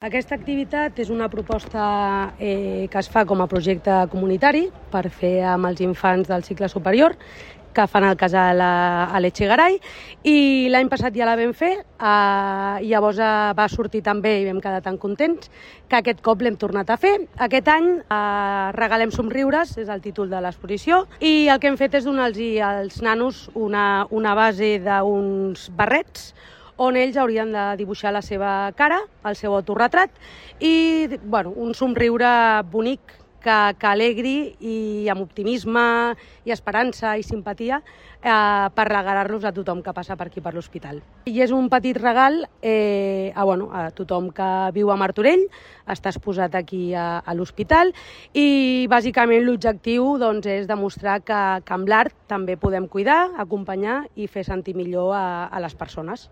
Aquesta activitat és una proposta que es fa com a projecte comunitari per fer amb els infants del cicle superior que fan el casal a l'Etxegaray, i l'any passat ja la vam fer, llavors va sortir també i vam quedar tan contents que aquest cop l'hem tornat a fer. Aquest any regalem somriures, és el títol de l'exposició, i el que hem fet és donar-los als nanos una base d'uns barrets on ells haurien de dibuixar la seva cara, el seu autorretrat, i un somriure bonic que alegri i amb optimisme i esperança i simpatia per regalar-los a tothom que passa per aquí per l'hospital. I és un petit regal a tothom que viu a Martorell, està exposat aquí a l'hospital, i bàsicament l'objectiu és demostrar que amb l'art també podem cuidar, acompanyar i fer sentir millor a les persones.